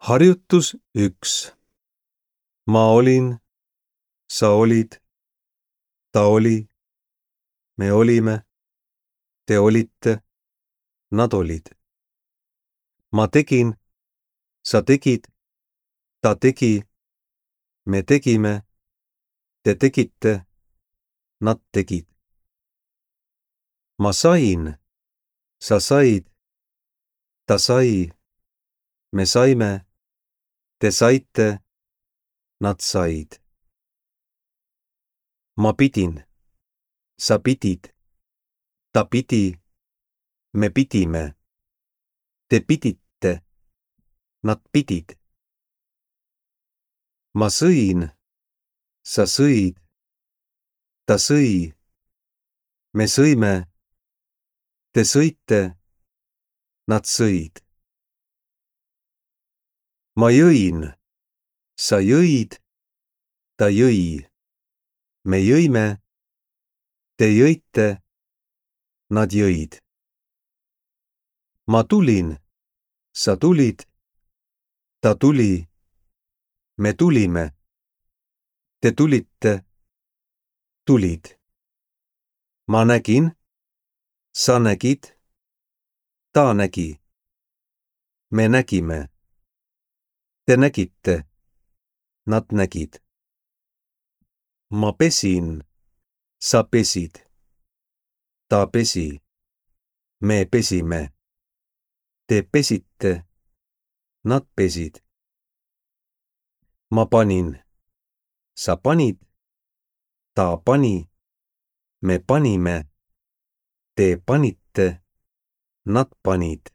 Harjutus 1. Ma olin, sa olid, ta oli, me olime, te olite, nad olid. Ma tegin, sa tegid, ta tegi, me tegime, te tegite, nad tegid. Ma sain, sa said, ta sai, me saime, te saite, nad said. Ma pidin, sa pidid, ta pidi, me pidime, te pidite, nad pidid. Ma sõin, sa sõid, ta sõi, me sõime, te sõite, nad sõid. Ma jõin, sa jõid, ta jõi, me jõime, te jõite, nad jõid. Ma tulin, sa tulid, ta tuli, me tulime, te tulite, tulid. Ma nägin, sa nägid, ta nägi, me nägime, te nägite, nad nägid. Ma pesin, sa pesid, ta pesi, me pesime, te pesite, nad pesid. Ma panin, sa panid, ta pani, me panime, te panite, nad panid.